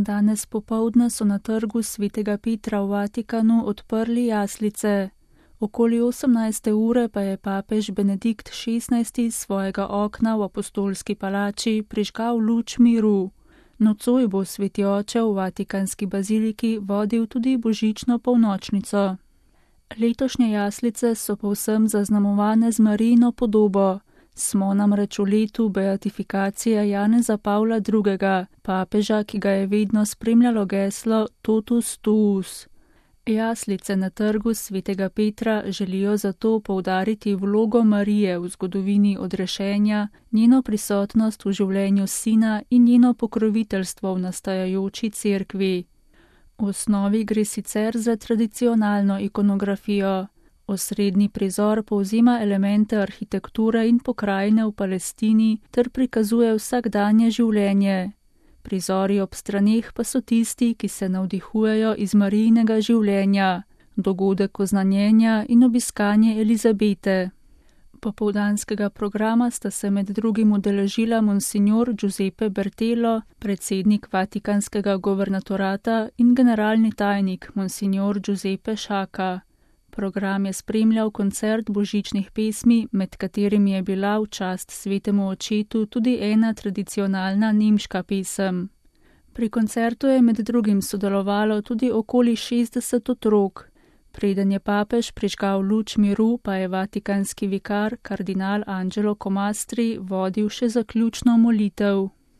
Danes popoldne so na trgu Svetega Petra v Vatikanu odprli jaslice. Okoli 18. ure pa je papež Benedikt XVI iz svojega okna v apostolski palači prižgal luč miru. Nocoj bo sveti oče v vatikanski baziliki vodil tudi božično polnočnico. Letošnje jaslice so povsem zaznamovane z Marijino podobo. Smo namreč v letu beatifikacije Janeza Pavla II., papeža, ki ga je vedno spremljalo geslo Totus tuus. Jaslice na trgu Svetega Petra želijo zato poudariti vlogo Marije v zgodovini odrešenja, njeno prisotnost v življenju sina in njeno pokroviteljstvo v nastajajoči cerkvi. V osnovi gre sicer za tradicionalno ikonografijo. Osrednji prizor povzema elemente arhitekture in pokrajine v Palestini ter prikazuje vsakdanje življenje. Prizori ob straneh pa so tisti, ki se navdihujejo iz Marijinega življenja, dogodek oznanjenja in obiskanje Elizabete. Popoldanskega programa sta se med drugim udeležila monsignor Giuseppe Bertelo, predsednik Vatikanskega governatorata, in generalni tajnik monsignor Giuseppe Sciacca. Program je spremljal koncert božičnih pesmi, med katerimi je bila v čast svetemu očetu tudi ena tradicionalna nemška pesem. Pri koncertu je med drugim sodelovalo tudi okoli 60 otrok. Preden je papež prižgal luč miru, pa je vatikanski vikar kardinal Angelo Comastri vodil še zaključno molitev.